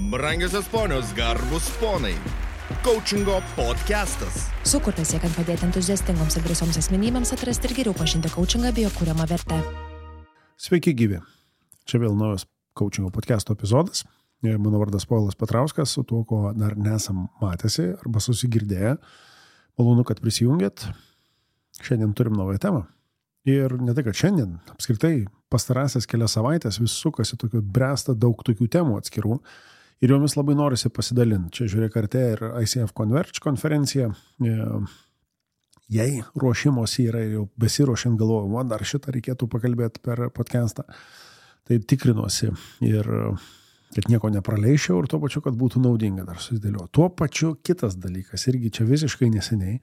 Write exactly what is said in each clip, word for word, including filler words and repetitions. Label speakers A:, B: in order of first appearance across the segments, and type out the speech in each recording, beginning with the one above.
A: Brangiosios ponios, garbus ponai. Coachingo podcastas.
B: Sukurtas siekiant padėti entuziastingoms ir drąsioms asmenybėms atrasti ir geriau pažinti coachingą bei jo kuriamą vertę.
C: Sveiki gyvi. Čia vėl naujas coachingo podcasto epizodas. Mano vardas Povilas Petrauskas, su tuo, ko dar nesam matęsi arba susigirdėję. Malonu, kad prisijungėt. Šiandien turim naują temą. Ir ne tai, kad šiandien, apskritai pastarąsias kelias savaitės vis sukasi tokių bręsta daug tokių temų atskirų. Ir jomis labai norisi pasidalinti. Čia žiūrėk artė ir I C F Converge konferencija. Jei ruošimosi yra jau besiruošiant galvoju, man dar šitą reikėtų pakalbėti per podcastą. Tai tikrinuosi ir kad nieko nepraleišiau ir tuo pačiu, kad būtų naudinga dar susidėliu. Tuo pačiu kitas dalykas, irgi čia visiškai neseniai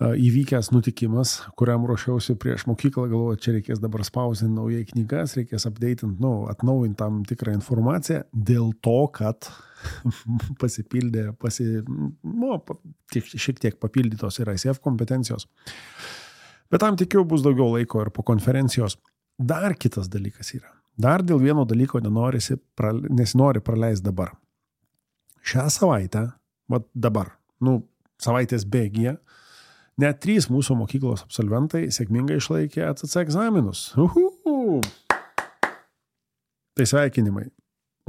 C: įvykęs nutikimas, kuriam ruošiausi prieš mokyklą, galvoju, čia reikės dabar spausinti naujai knygas, reikės updatinti, nu, atnaujinti tam tikrą informaciją, dėl to, kad pasipildė, pasi, nu, šiek tiek papildytos ir I C F kompetencijos. Bet tam tikiu bus daugiau laiko ir po konferencijos. Dar kitas dalykas yra. Dar dėl vieno dalyko nenorisi, nesinori praleisti dabar. Šią savaitę, vat dabar, nu, savaitės bėgyje, net trys mūsų mokyklos absolventai sėkmingai išlaikė A C C egzaminus. Uhu! Tai sveikinimai.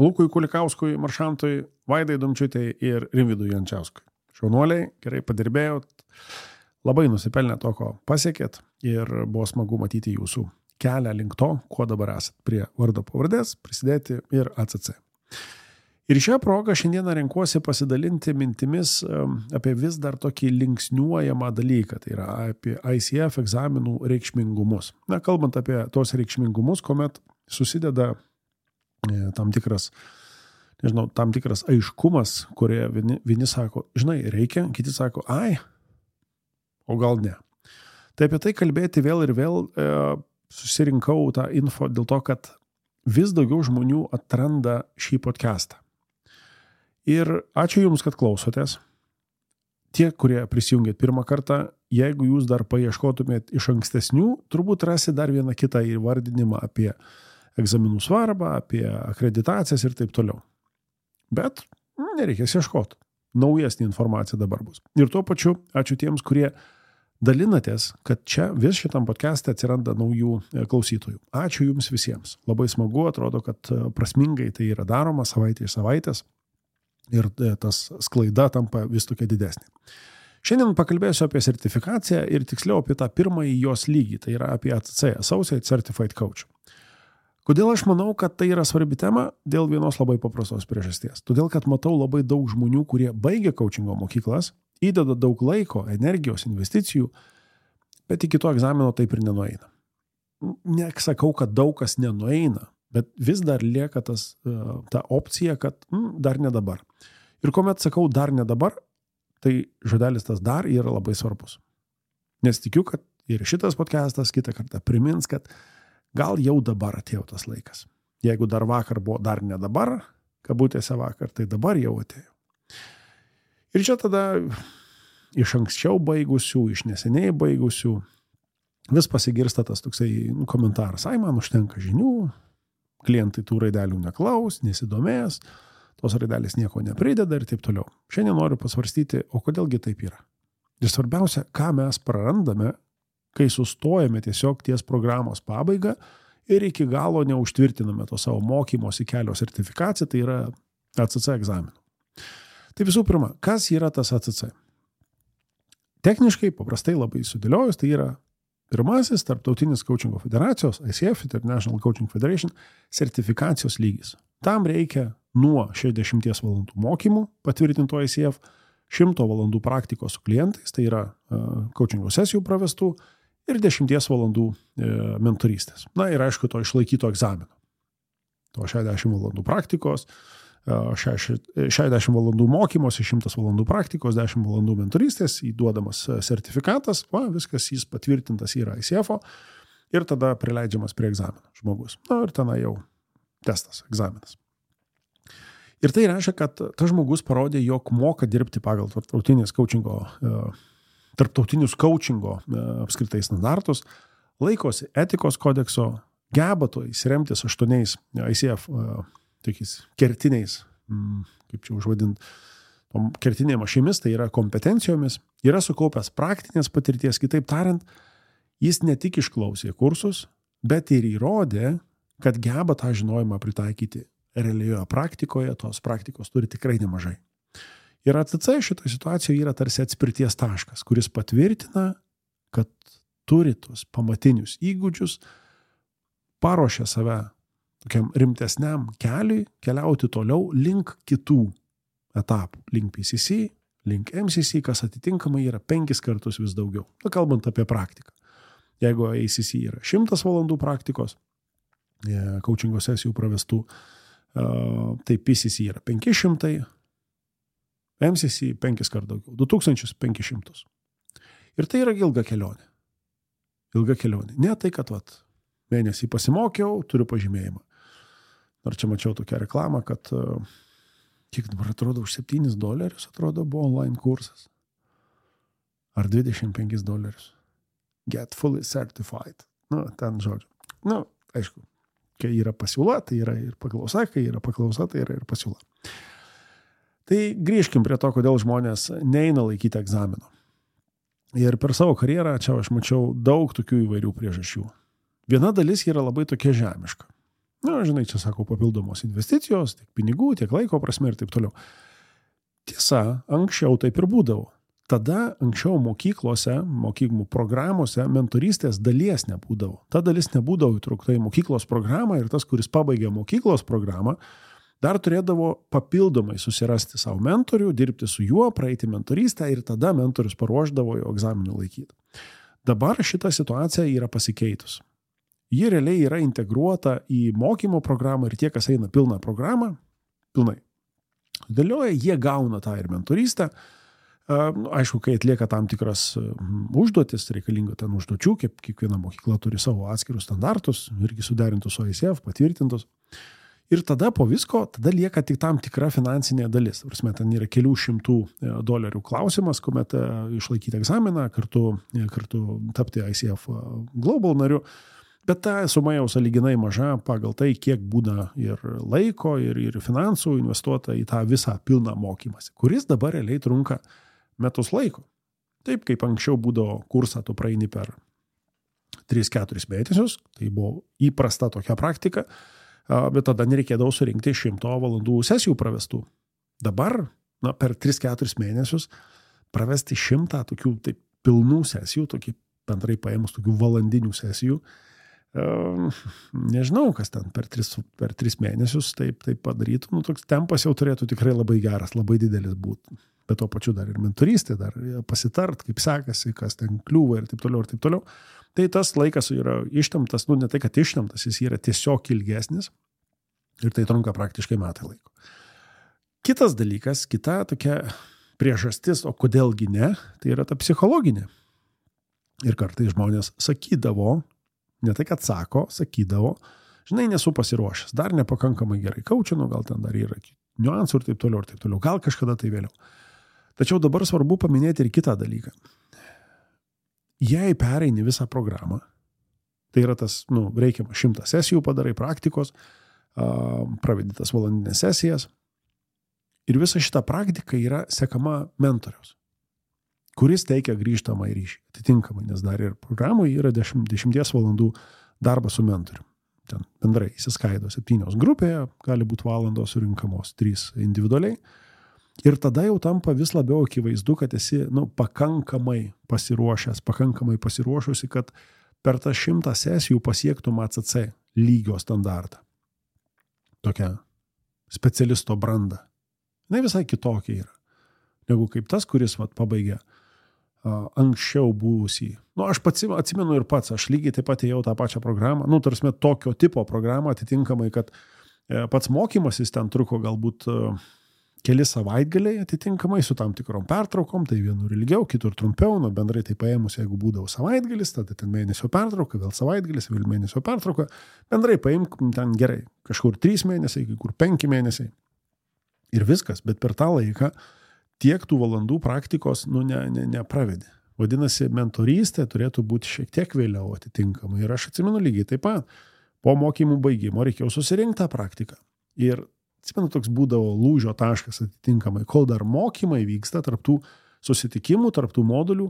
C: Lukui Kulikauskui, Maršantui, Vaidai Dumčiutei ir Rimvidui Jančiauskui. Šaunuoliai, gerai padirbėjot, labai nusipelnė to, ko pasiekėt ir buvo smagu matyti jūsų kelią link to, kuo dabar esat prie vardo pavardės, prisidėti ir A C C. Ir šią progą šiandieną renkuosi pasidalinti mintimis apie vis dar tokį linksniuojamą dalyką, tai yra apie I C F egzaminų reikšmingumus. Na, kalbant apie tos reikšmingumus, kuomet susideda tam tikras, nežinau, tam tikras aiškumas, kurie vieni, vieni sako, žinai, reikia, kiti sako, ai, o gal ne. Tai apie tai kalbėti vėl ir vėl e, susirinkau tą info dėl to, kad vis daugiau žmonių atranda šį podcastą. Ir ačiū Jums, kad klausotės. Tie, kurie prisijungėt pirmą kartą, jeigu Jūs dar paieškotumėt iš ankstesnių, turbūt rasi dar vieną kitą įvardinimą apie egzaminų svarbą, apie akreditacijas ir taip toliau. Bet nereikės ieškoti. Naujesnė informacija dabar bus. Ir tuo pačiu ačiū tiems, kurie dalinatės, kad čia vis šitam podcast'e atsiranda naujų klausytojų. Ačiū Jums visiems. Labai smagu, atrodo, kad prasmingai tai yra daroma savaitė iš savaitės. Ir tas sklaida tampa vis tokia didesnė. Šiandien pakalbėsiu apie sertifikaciją ir tiksliau apie tą pirmąjį jos lygį, tai yra apie A C C, Associate Certified Coach. Kodėl aš manau, kad tai yra svarbi tema? Dėl vienos labai paprastos priežasties. Todėl, kad matau labai daug žmonių, kurie baigia coachingo mokyklas, įdeda daug laiko, energijos, investicijų, bet iki to egzamino taip ir nenueina. Nesakau, kad daug kas nenueina, bet vis dar lieka tas, ta opcija, kad mm, dar ne dabar. Ir kuomet sakau dar ne dabar, tai žodelis tas dar yra labai svarbus. Nes tikiu, kad ir šitas podcastas kitą kartą primins, kad gal jau dabar atėjo tas laikas. Jeigu dar vakar buvo dar ne dabar, kabutėse vakar, tai dabar jau atėjo. Ir čia tada iš anksčiau baigusių, iš neseniai baigusių, vis pasigirsta tas toksai komentaras, ai man užtenka žinių, klientai tų raidelių neklaus, nesidomės, tos raidelės nieko neprideda ir taip toliau. Šiandien noriu pasvarstyti, o kodėlgi taip yra. Ir svarbiausia, ką mes prarandame, kai sustojame tiesiog ties programos pabaigą ir iki galo neužtvirtiname to savo mokymosi kelio sertifikaciją, tai yra A C C egzaminų. Tai visų pirma, kas yra tas A C C? Techniškai, paprastai labai sudėliojus, tai yra pirmasis tarptautinis coachingo federacijos, I C F, International Coaching Federation, sertifikacijos lygis. Tam reikia nuo šešiasdešimties valandų mokymų patvirtinto I C F, šimto valandų praktikos su klientais, tai yra uh, coachingo sesijų pravestų ir dešimties valandų uh, mentorystės. Na ir aišku, to išlaikyto egzamino. To šešiasdešimt valandų praktikos, šešiasdešimt valandų mokymosi, šimtas valandų praktikos, dešimt valandų mentorystės, įduodamas sertifikatas, va, viskas jis patvirtintas yra I C F-o ir tada prileidžiamas prie egzamino žmogus. Na ir tenai jau testas, egzaminas. Ir tai reiškia, kad tas žmogus parodė, jog moka dirbti pagal tarptautinės coachingo, tarptautinius coachingo apskritai standartus, laikosi etikos kodekso, geba to įsiremtis aštuoniais I C F tokiais kertiniais kaip čia užvadinti, tom kertinėm ašimis, tai yra kompetencijomis, yra sukaupęs praktinės patirties, kitaip tariant, jis ne tik išklausė kursus, bet ir įrodė, kad geba tą žinojimą pritaikyti realioje praktikoje, tos praktikos turi tikrai nemažai. Ir A T C šitoje situacijoje yra tarsi atspirties taškas, kuris patvirtina, kad turi tos pamatinius įgūdžius, paruošia save tokiam rimtesniam keliui, keliauti toliau link kitų etapų, link P C C, link M C C, kas atitinkamai yra penkis kartus vis daugiau. Nu, kalbant apie praktiką. Jeigu A C C yra šimtas valandų praktikos, coachingo sesijų pravestų, tai P C C yra penki šimtai, M C C penkis kart daugiau, du tūkstančius penkis šimtus. Ir tai yra ilga kelionė. Ilga kelionė. Ne tai, kad vat, mėnesį pasimokiau, turiu pažymėjimą. Ar čia mačiau tokią reklamą, kad kiek dabar atrodo už septynis dolerius, atrodo, buvo online kursas. Ar dvidešimt penkis dolerius. Get fully certified. Nu, ten žodžiu. Nu, aišku, kai yra pasiūla, tai yra ir paklausa, kai yra paklausa, tai yra ir pasiūla. Tai grįžkim prie to, kodėl žmonės neina laikyti egzamino. Ir per savo karjerą čia aš mačiau daug tokių įvairių priežasčių. Viena dalis yra labai tokia žemiška. Na, žinai, čia sako papildomos investicijos, tiek pinigų, tiek laiko prasme ir taip toliau. Tiesa, anksčiau taip ir būdavo. Tada anksčiau mokyklose, mokyklų programuose mentorystės dalies nebūdavo. Ta dalis nebūdavo įtraukta į mokyklos programą ir tas, kuris pabaigė mokyklos programą, dar turėdavo papildomai susirasti savo mentorių, dirbti su juo, praeiti mentorystę ir tada mentorius paruošdavo jo egzaminų laikyti. Dabar šita situacija yra pasikeitus. Ji realiai yra integruota į mokymo programą ir tie, kas eina pilną programą, pilnai dėlioja, jie gauna tą ir mentorystę. Aišku, kai atlieka tam tikras užduotis, reikalinga ten užduočių, kaip kiekviena mokykla turi savo atskirus standartus, irgi suderintus su I C F, patvirtintus. Ir tada po visko, tada lieka tik tam tikra finansinė dalis. Prasme, ten yra kelių šimtų dolerių klausimas, kuomet išlaikyti egzaminą, kartu, kartu tapti I C F Global nariu. Bet ta suma jau sąlyginai maža pagal tai, kiek būna ir laiko, ir, ir finansų investuota į tą visą pilną mokymąsi, kuris dabar realiai trunka metus laiko. Taip, kaip anksčiau būdavo kursą, tu praeini per tris keturis mėnesius, tai buvo įprasta tokia praktika, bet tada nereikėdavo surinkti šimto valandų sesijų pravestų. Dabar, na, per tris keturis mėnesius pravesti šimtą tokių taip, pilnų sesijų, tokį bendrai paėmus tokių valandinių sesijų, nežinau, kas ten per tris, per tris mėnesius taip, taip padarytų. Nu, toks tempas jau turėtų tikrai labai geras, labai didelis būti. Bet to pačiu dar ir mentorystė, dar pasitart, kaip sekasi, kas ten kliūva ir taip toliau ir taip toliau. Tai tas laikas yra ištemptas, nu ne tai, kad ištemptas, jis yra tiesiog ilgesnis ir tai trunka praktiškai metai laiko. Kitas dalykas, kita tokia priežastis, o kodėlgi ne, tai yra ta psichologinė. Ir kartais žmonės sakydavo, ne tai, kad sako, sakydavo, žinai, nesu pasiruošęs, dar nepakankamai gerai kaučinu, gal ten dar yra niuansų ir taip toliau ir taip toliau, gal kažkada tai vėliau. Tačiau dabar svarbu paminėti ir kitą dalyką. Jei pereini visą programą, tai yra tas, nu, reikiama šimtą sesijų padarai praktikos, pravedi tas valandinės sesijas ir visa šita praktika yra sekama mentoriaus, kuris teikia grįžtamą į ryšį, atitinkamai, nes dar ir programoje yra dešimt, dešimties valandų darbas su mentorium. Ten bendrai įsiskaido septynios grupėje, gali būti valandos surinkamos trys individualiai. Ir tada jau tampa vis labiau akivaizdu, kad esi, nu, pakankamai pasiruošęs, pakankamai pasiruošusi, kad per tą šimtą sesijų pasiektum A C C lygio standartą. Tokia specialisto branda. Ne visai kitokia yra, negu kaip tas, kuris vat, pabaigė uh, anksčiau buvusį. Nu, aš pats atsimenu ir pats, aš lygiai taip pat ėjau tą pačią programą, nu, tarsi tokio tipo programą, atitinkamai, kad uh, pats mokymasis ten truko galbūt uh, keli savaitgaliai atitinkamai su tam tikrom pertraukom, tai vienur ilgiau, kitur trumpiau, nu bendrai tai paėmus, jeigu būdavo savaitgalis, tada ten mėnesio pertrauka, vėl savaitgalis, vėl mėnesio pertrauka, bendrai paimk ten gerai, kažkur trys mėnesiai, kur penki mėnesiai ir viskas, bet per tą laiką tiek tų valandų praktikos, nu, ne, ne, nepravedi. Vadinasi, mentorystė turėtų būti šiek tiek vėliau atitinkamai ir aš atsimenu lygiai taip pat, po mokymų baigimo reikėjo susirinkti tą praktiką ir atsimenu, toks būdavo lūžio taškas atitinkamai, kol dar mokymai vyksta tarptų susitikimų, tarptų modulių,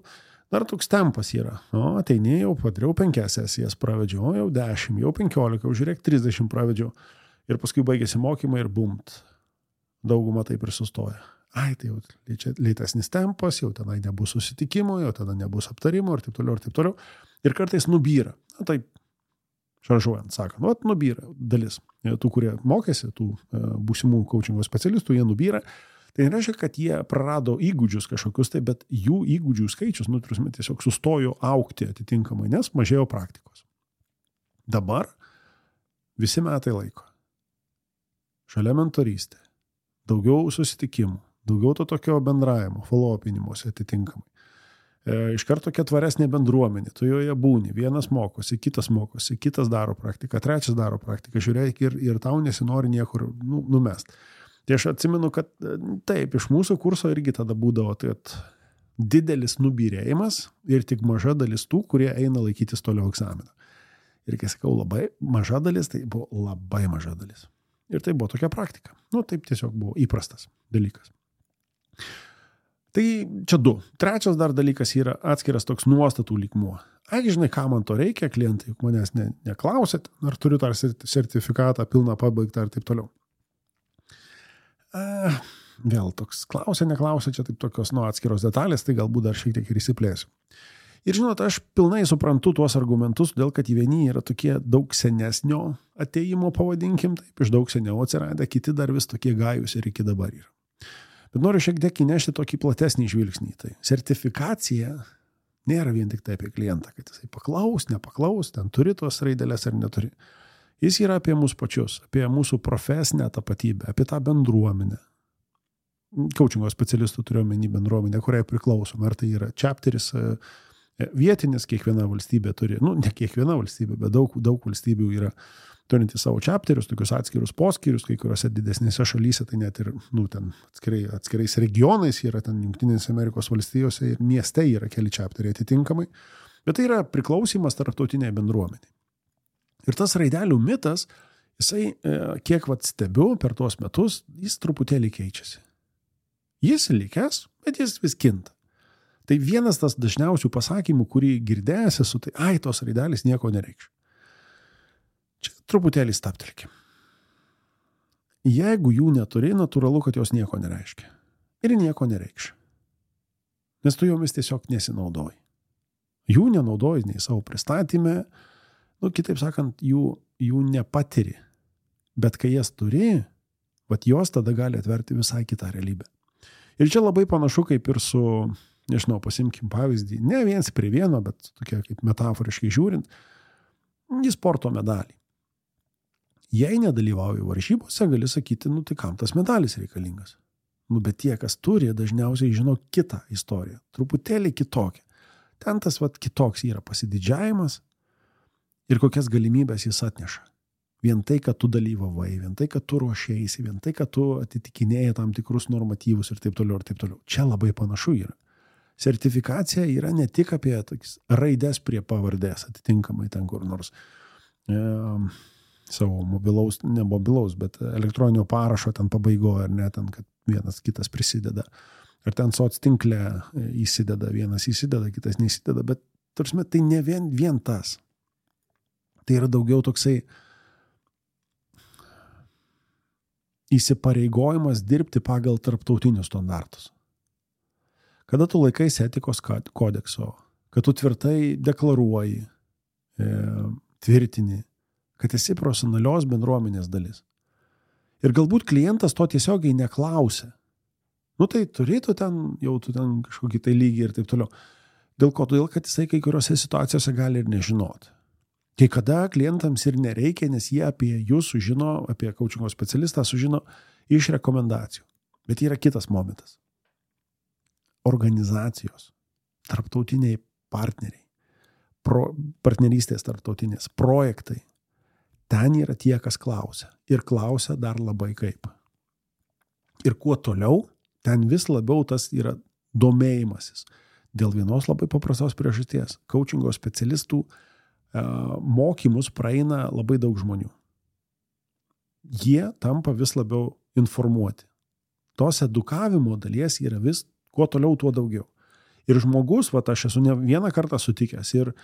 C: dar toks tempas yra. O, ateini, jau padariau penkias sesijas, pravedžiau, jau dešimt, jau penkiolika, jau žiūrėk, trisdešimt pravedžiau. Ir paskui baigėsi mokymai ir bumt. Dauguma taip ir sustoja. Ai, tai jau lėtesnis tempas, jau tenai nebus susitikimo, jau tada nebus aptarimo ir taip toliau, ir taip toliau. Ir kartais nubyra. Na, taip, šaržuojant, sakant, vat nubyra dalis. Tų, kurie mokėsi, tų būsimų coachingo specialistų, jie nubyra. Tai nereiškia, kad jie prarado įgūdžius kažkokius, tai, bet jų įgūdžių skaičius, nu, turime tiesiog sustojo augti atitinkamai, nes mažėjo praktikos. Dabar visi metai laiko. Šalia mentorystė. Daugiau susitikimų, daugiau to tokio bendravimo, follow-upinimuose atitinkamai. E, iš karto tokia tvaresnė bendruomenė, tu joje būni, vienas mokosi, kitas mokosi, kitas daro praktiką, trečias daro praktiką, žiūrėk ir, ir tau nesinori niekur nu, numest. Tai aš atsimenu, kad taip, iš mūsų kurso irgi tada būdavo tai didelis nubyrėjimas ir tik maža dalis tų, kurie eina laikytis toliau egzaminą. Ir kai sakau labai maža dalis, tai buvo labai maža dalis. Ir tai buvo tokia praktika. Nu, taip tiesiog buvo įprastas dalykas. Tai čia du. Trečias dar dalykas yra atskiras toks nuostatų lygmuo. Ai, žinai, ką man to reikia, klientai, juk manęs ne, neklausėt, ar turiu tą sertifikatą pilną pabaigtą ir taip toliau. A, vėl toks klausė, neklausė, čia taip tokios nu, atskiros detalės, tai galbūt dar šiek tiek ir įsiplėsiu. Ir žinot, aš pilnai suprantu tuos argumentus, dėl kad vieni yra tokie daug senesnio ateimo, pavadinkim, taip, iš daug seniau atsiradę, kiti dar vis tokie gajus ir iki dabar yra. Bet noriu šiek tiek įnešti tokį platesnį žvilgsnį. Tai sertifikacija nėra vien tik tai apie klientą, kad jisai paklaus, nepaklaus, ten turi tos raidelės ar neturi. Jis yra apie mūsų pačius, apie mūsų profesinę tapatybę, apie tą bendruomenę. Coachingo specialistų turiu omeny bendruomenę, kuriai priklausom. Ar tai yra chapteris, vietinis, kiekviena valstybė turi, nu, ne kiekviena valstybė, bet daug, daug valstybių yra turinti savo chapterius, tokius atskirus poskyrius, kai kuriuose didesnėse šalyse, tai net ir, nu, ten atskirai, atskirais regionais yra ten Jungtinėse Amerikos valstijose ir mieste yra keli chapteriai atitinkamai, bet tai yra priklausimas tarptautiniai bendruomeniai. Ir tas raidelių mitas, jisai, kiek vat stebiu per tuos metus, jis truputėlį keičiasi. Jis likęs, bet jis vis kinta. Tai vienas tas dažniausių pasakymų, kurį girdėjęs esu, tai ai, tos raidelės nieko nereikš. Čia truputėlį staptelkim. Jeigu jų neturi, natūralu, kad jos nieko nereiškia. Ir nieko nereikš. Nes tu jomis tiesiog nesinaudoji. Jų nenaudoji nei savo pristatyme, nu, kitaip sakant, jų, jų nepatiri. Bet kai jas turi, vat jos tada gali atverti visai kitą realybę. Ir čia labai panašu kaip ir su, nežinau, pasimkim pavyzdį, ne viens prie vieno, bet tokia kaip metaforiškai žiūrint, į sporto medalį. Jei nedalyvauji varžybose, gali sakyti, nu tai kam tas medalis reikalingas? Nu, bet tie, kas turi, dažniausiai žino kitą istoriją, truputėlį kitokią. Ten tas vat kitoks yra pasididžiavimas ir kokias galimybės jis atneša. Vien tai, kad tu dalyvavai, vien tai, kad tu ruošėsi, vien tai, kad tu atitikinėjai tam tikrus normatyvus ir taip toliau ir taip toliau. Čia labai panašu yra. Sertifikacija yra ne tik apie tokis raidės prie pavardės, atitinkamai ten kur nors e, savo mobilaus, ne mobilaus, bet elektroninio parašo ten pabaigoje, ar ne, ten, kad vienas kitas prisideda. Ar ten soc tinkle įsideda, vienas įsideda, kitas neįsideda, bet tarsi tai ne vien, vien tas. Tai yra daugiau toksai įsipareigojimas dirbti pagal tarptautinius standartus. Kada tu laikaisi etikos kodekso, kad tu tvirtai deklaruoji, e, tvirtini, kad esi profesionalios bendruomenės dalis. Ir galbūt klientas to tiesiogiai neklausia. Nu tai turėtų ten, jau tu ten kažkokį tai lygį ir taip toliau. Dėl ko? Todėl, kad jisai kai kuriuose situacijose gali ir nežinoti. Kai kada klientams ir nereikia, nes jie apie jūs sužino, apie coachingo specialistą sužino iš rekomendacijų. Bet yra kitas momentas. Organizacijos, tarptautiniai partneriai, pro, partnerystės tarptautinės, projektai. Ten yra tie, kas klausia. Ir klausia dar labai kaip. Ir kuo toliau, ten vis labiau tas yra domėjimasis. Dėl vienos labai paprastos priežasties. Coachingo specialistų mokymus praeina labai daug žmonių. Jie tampa vis labiau informuoti. Tos edukavimo dalies yra vis, kuo toliau, tuo daugiau. Ir žmogus, va, aš esu ne vieną kartą sutikęs ir e,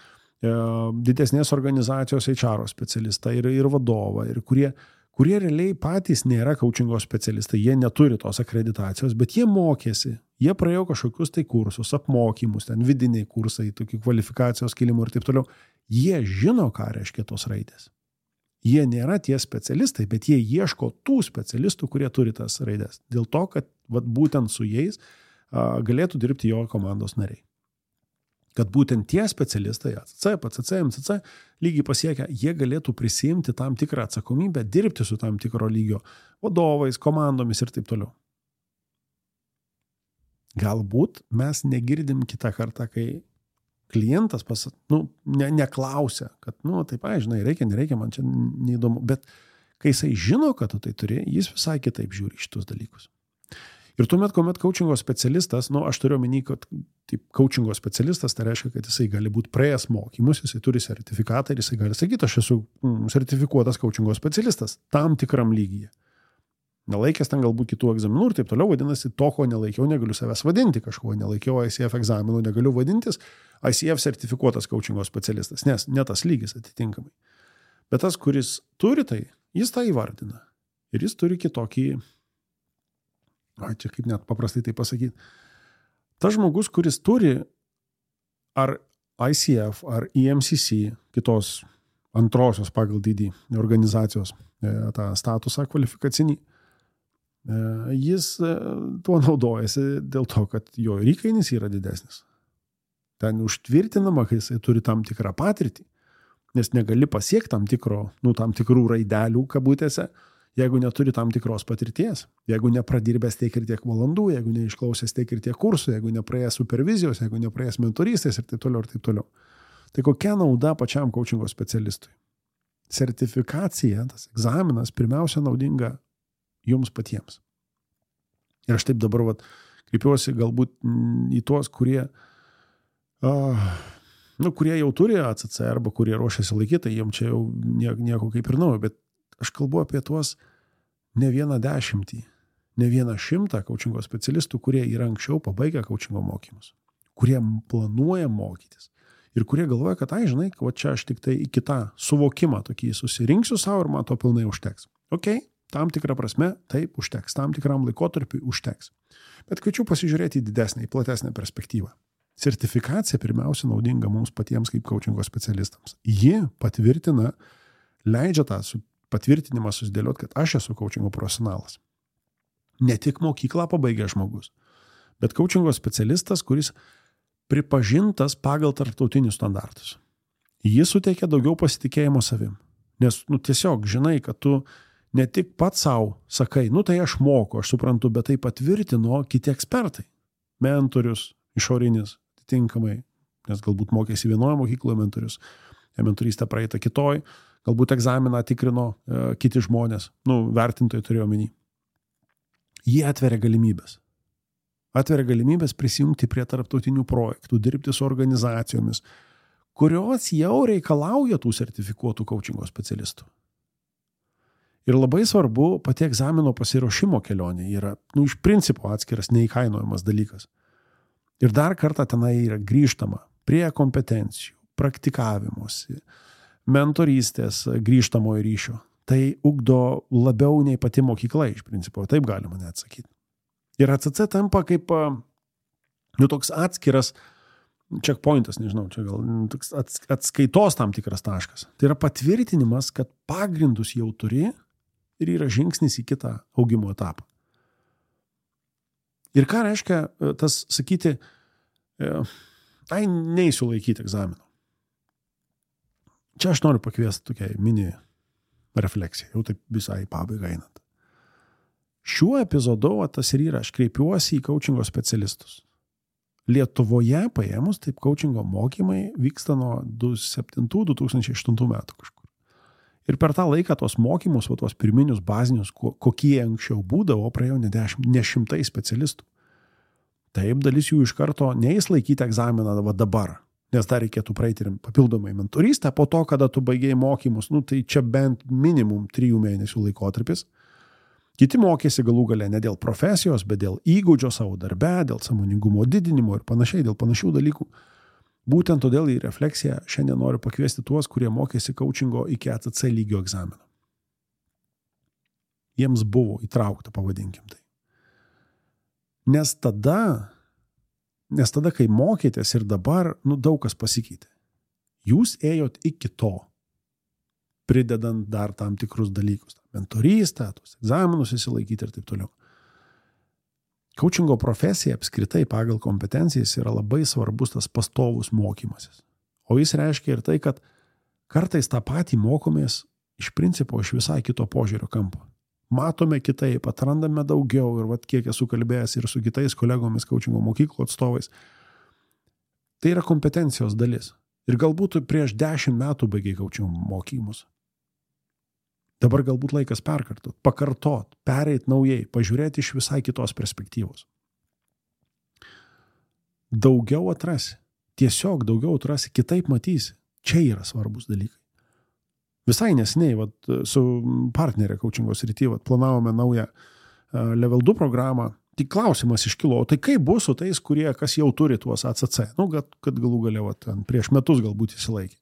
C: didesnės organizacijos H R specialistą ir, ir vadovą, ir kurie, kurie realiai patys nėra coachingo specialistai, jie neturi tos akreditacijos, bet jie mokėsi, jie praėjo kažkokius tai kursus, apmokymus, ten vidiniai kursai, tokių kvalifikacijos kilimų ir taip toliau. Jie žino, ką reiškia tos raidės. Jie nėra tie specialistai, bet jie ieško tų specialistų, kurie turi tas raidės. Dėl to, kad vat, būtent su jais a, galėtų dirbti jo komandos nariai. Kad būtent tie specialistai, A C C, P C C, M C C, lygiai pasiekę, jie galėtų prisiimti tam tikrą atsakomybę, dirbti su tam tikro lygio vadovais, komandomis ir taip toliau. Galbūt mes negirdim kitą kartą, kai klientas pas, nu, ne, neklausia, kad, nu, taip, ai, žinai, reikia, nereikia, man čia neįdomu, bet kai jisai žino, kad tu tai turi, jis visai kitaip žiūri šitus dalykus. Ir tuomet, kuomet coachingo specialistas, nu, aš turiu omeny, kad taip, coachingo specialistas, tai reiškia, kad jisai gali būti praėjęs mokymus, jisai turi sertifikatą ir jisai gali sakyti, aš esu mm, sertifikuotas coachingo specialistas tam tikram lygyje. Nelaikęs ten galbūt kitų egzaminų ir taip toliau, vadinasi, to, ko nelaikiau, negaliu savęs vadinti kažko, nelaikiau I C F egzaminų, negaliu vadintis I C F sertifikuotas coachingo specialistas, nes ne tas lygis atitinkamai. Bet tas, kuris turi tai, jis tą įvardina. Ir jis turi kitokį, ai, čia kaip net paprastai tai pasakyti, tas žmogus, kuris turi ar I C F, ar E M C C, kitos antrosios pagal dydį organizacijos tą statusą kvalifikacinį, jis tuo naudojasi dėl to, kad jo įkainis yra didesnis. Ten užtvirtinama, kai jisai turi tam tikrą patirtį, nes negali pasiekti tam, tikro, nu, tam tikrų raidelių kabutėse, jeigu neturi tam tikros patirties, jeigu nepradirbęs tiek ir tiek valandų, jeigu neišklausęs tiek ir tiek kursų, jeigu nepraėjęs supervizijos, jeigu nepraėjęs mentorystės ir taip toliau ir taip toliau. Tai kokia nauda pačiam coachingo specialistui? Sertifikacija, tas egzaminas, pirmiausia naudinga jums patiems. Ir aš taip dabar vat, kreipiuosi galbūt į tuos, kurie, uh, nu, kurie jau turi A C C arba kurie ruošiasi laikyti, tai jiems čia jau nieko, nieko kaip ir naujo, bet aš kalbu apie tuos ne vieną dešimtį, ne vieną šimtą coachingo specialistų, kurie yra anksčiau pabaigę coachingo mokymus, kurie planuoja mokytis ir kurie galvoja, kad, ai, žinai, va čia aš tik tai į kitą suvokimą tokį susirinksiu savo ir man to pilnai užteks. Ok, tam tikrą prasme, taip, užteks, tam tikram laikotarpiui užteks. Bet kviečiu pasižiūrėti į didesnę, į platesnę perspektyvą. Sertifikacija pirmiausia naudinga mums patiems kaip coachingo specialistams. Ji patvirtina, leidžia tą patvirtinimą susidėlioti, kad aš esu coachingo profesionalas. Ne tik mokyklą pabaigė žmogus, bet coachingo specialistas, kuris pripažintas pagal tarptautinius standartus. Jis suteikia daugiau pasitikėjimo savim. Nes, nu, tiesiog žinai, kad tu ne tik pats savo sakai, nu tai aš moku, aš suprantu, bet tai patvirtino kiti ekspertai. Mentorius, išorinis, atitinkamai, nes galbūt mokėsi vienoje mokykloje mentorius, mentorystę praeitą kitoj, galbūt egzaminą tikrino e, kiti žmonės, nu, vertintojai turėjo omeny. Jie atveria galimybės. Atveria galimybės prisijungti prie tarptautinių projektų, dirbti su organizacijomis, kurios jau reikalauja tų sertifikuotų coachingo specialistų. Ir labai svarbu, pati egzamino pasiruošimo kelionė yra, nu, iš principo atskiras neįkainojamas dalykas. Ir dar kartą tenai yra grįžtama prie kompetencijų, praktikavimosi, mentorystės grįžtamojo ryšio. Tai ugdo labiau nei pati mokykla, iš principo, taip galima net sakyti. Ir A C C tampa kaip, nu, toks atskiras checkpointas, nežinau, čia gal toks atskaitos tam tikras taškas. Tai yra patvirtinimas, kad pagrindus jau turi ir yra žingsnis į kitą augimo etapą. Ir ką reiškia tas sakyti, ai, neįsiu laikyti egzamino. Čia aš noriu pakviesti tokiai mini refleksijai, jau taip visai pabaigą einant. Šiuo epizodu tas ir yra, aš kreipiuosi į coachingo specialistus. Lietuvoje paėmus, taip coachingo mokymai vyksta nuo du tūkstančiai septintų - du tūkstančiai aštuntų metų kažkur. Ir per tą laiką tos mokymus, va, tos pirminius bazinius, kokie anksčiau būdavo, praėjo ne, dešimt, ne šimtai specialistų. Taip, dalis jų iš karto neįs laikyti egzaminą va dabar, nes dar reikėtų praeiti ir papildomai mentorystę, po to, kada tu baigėjai mokymus, nu, tai čia bent minimum trijų mėnesių laikotarpis. Kiti mokėsi galų gale ne dėl profesijos, bet dėl įgūdžio savo darbe, dėl sąmoningumo didinimo ir panašiai, dėl panašių dalykų. Būtent todėl į refleksiją šiandien noriu pakviesti tuos, kurie mokėsi coachingo iki A C C lygio egzamino. Jiems buvo įtraukta, pavadinkim tai. Nes tada, nes tada, kai mokėtės ir dabar, nu, daug kas pasikeitė. Jūs ėjot iki to, pridedant dar tam tikrus dalykus. Mentorystę, tos egzaminus įsilaikyti ir taip toliau. Coachingo profesija apskritai pagal kompetencijas yra labai svarbus tas pastovus mokymasis. O jis reiškia ir tai, kad kartais tą patį mokomės iš principo iš visai kito požiūrio kampo. Matome kitaip, atrandame daugiau ir vat kiek esu kalbėjęs ir su kitais kolegomis coachingo mokyklų atstovais. Tai yra kompetencijos dalis. Ir galbūt prieš dešimt metų baigiai coachingo mokymus. Dabar galbūt laikas perkartot, pakartot, pereit naujai, pažiūrėti iš visai kitos perspektyvos. Daugiau atrasi, tiesiog daugiau atrasi, kitaip matysi. Čia yra svarbus dalykai. Visai nesiniai, vat, su partnerė coachingo srity, vat, planavome naują level du programą. Tik klausimas iškilo, o tai kaip bus su tais, kurie kas jau turi tuos A C C? Nu, kad, kad galų galia, vat, prieš metus galbūt įsilaikė.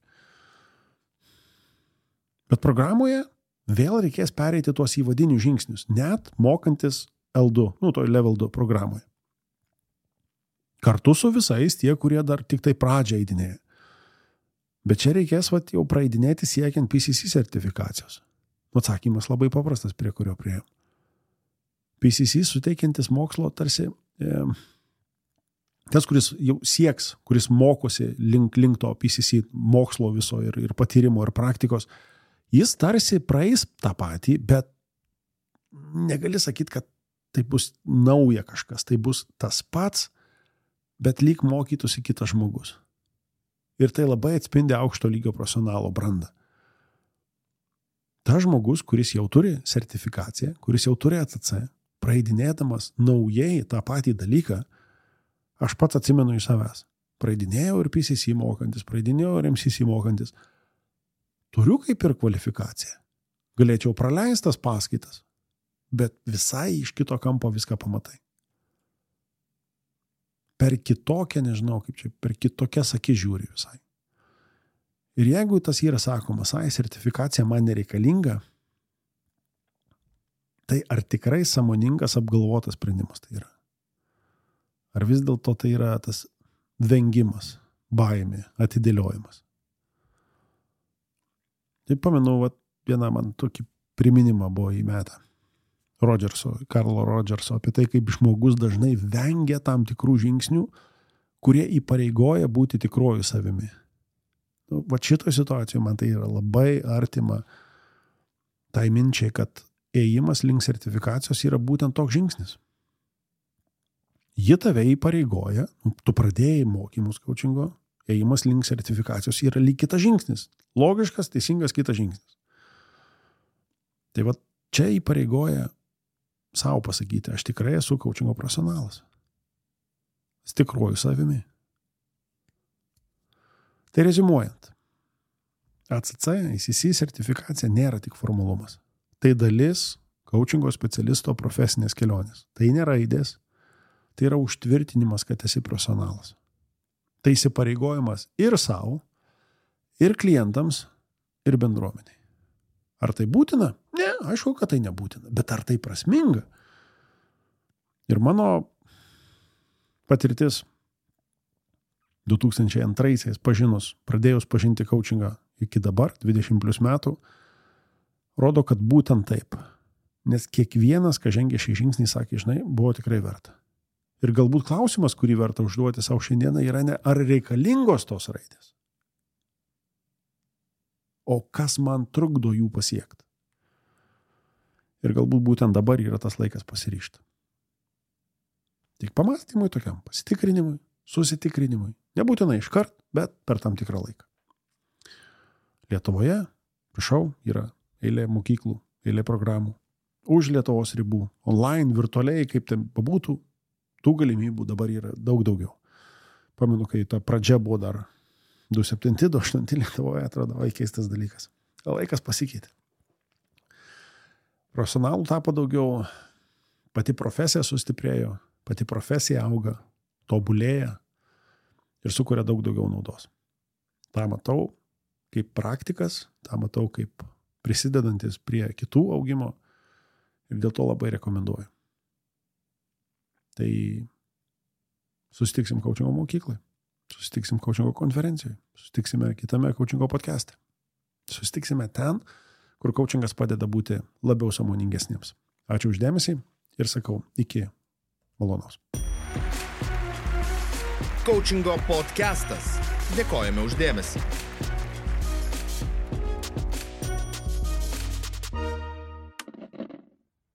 C: Bet programoje vėl reikės pereiti tuos įvadinius žingsnius, net mokantis L du, nu, to level du programoje. Kartu su visais tie, kurie dar tik tai pradžią eidinėja. Bet čia reikės vat, jau praeidinėti siekiant P C C sertifikacijos. Atsakymas labai paprastas, prie kurio priėjom. P C C suteikiantis mokslo tarsi e, tas, kuris jau sieks, kuris mokosi link, link to P C C mokslo viso ir, ir patyrimo ir praktikos, jis tarsi praeis tą patį, bet negali sakyti, kad tai bus nauja kažkas, tai bus tas pats, bet lyg mokytųsi kitas žmogus. Ir tai labai atspindi aukšto lygio profesionalo brandą. Tas žmogus, kuris jau turi sertifikaciją, kuris jau turi A C C, praeidinėdamas naujai tą patį dalyką, aš pats atsimenu iš savęs. Praeidinėjau ir P C C mokantis, praeidinėjau ir M C C mokantis. Turiu kaip ir kvalifikaciją. Galėčiau praleistas paskaitas, bet visai iš kito kampo viską pamatai. Per kitokią, nežinau, kaip čia, per kitokias akis žiūri visai. Ir jeigu tas yra sakomas, ai, sertifikacija man nereikalinga, tai ar tikrai sąmoningas apgalvotas sprendimas tai yra? Ar vis dėlto tai yra tas vengimas, baimė, atidėliojimas? Tai pamenu, vat, vieną man tokį priminimą buvo įmetę. Rodžerso, Karlo Rodžerso, apie tai, kaip žmogus dažnai vengia tam tikrų žingsnių, kurie įpareigoja būti tikruoju savimi. Nu, va šitoje situacijoje man tai yra labai artima tai minčiai, kad ėjimas link sertifikacijos yra būtent toks žingsnis. Ji tave įpareigoja, tu pradėjai mokymus coachingo, ėjimas link sertifikacijos yra lyg kitas žingsnis. Logiškas, teisingas kitas žingsnis. Tai va čia įpareigoja savo pasakyti, aš tikrai esu coachingo profesionalas. Tikruoju savimi. Tai rezimuojant, A C C, A C C sertifikacija nėra tik formalumas. Tai dalis coachingo specialisto profesinės kelionės. Tai nėra raidės, tai yra užtvirtinimas, kad esi profesionalas. Tai įsipareigojimas ir savo, ir klientams, ir bendruomeniai. Ar tai būtina? Ne, aišku, kad tai nebūtina. Bet ar tai prasminga? Ir mano patirtis du tūkstančiai antraisiais pažinus, pradėjus pažinti coachingą iki dabar, dvidešimt plus metų, rodo, kad būtent taip. Nes kiekvienas, kas žengė šį žingsnį, sakė, žinai, buvo tikrai verta. Ir galbūt klausimas, kurį verta užduoti savo šiandieną, yra ne ar reikalingos tos raidės, o kas man trukdo jų pasiekti. Ir galbūt būtent dabar yra tas laikas pasiryžti. Tik pamastymui tokiam, pasitikrinimui, susitikrinimui. Nebūtinai iškart, bet per tam tikrą laiką. Lietuvoje, prašau, yra eilė mokyklų, eilė programų. Už Lietuvos ribų, online, virtualiai, kaip ten pabūtų, tų galimybių dabar yra daug daugiau. Pamenu, kai ta pradžia buvo dar du septinti, du aštunti Lietuvoje, atrodo, vai keistas dalykas. Laikas pasikeitė. Profesionalų tapo daugiau, pati profesija sustiprėjo, pati profesija auga, tobulėja ir sukuria daug daugiau naudos. Ta matau kaip praktikas, tą matau kaip prisidedantis prie kitų augimo ir dėl to labai rekomenduoju. Tai susitiksim coachingo mokyklai, susitiksim coachingo konferencijai, susitiksime kitame coachingo podcast'e. Susitiksime ten, kur coachingas padeda būti labiau sąmoningesniems. Ačiū už dėmesį ir sakau, iki malonaus.
A: Coachingo podcastas. Dėkojame už dėmesį.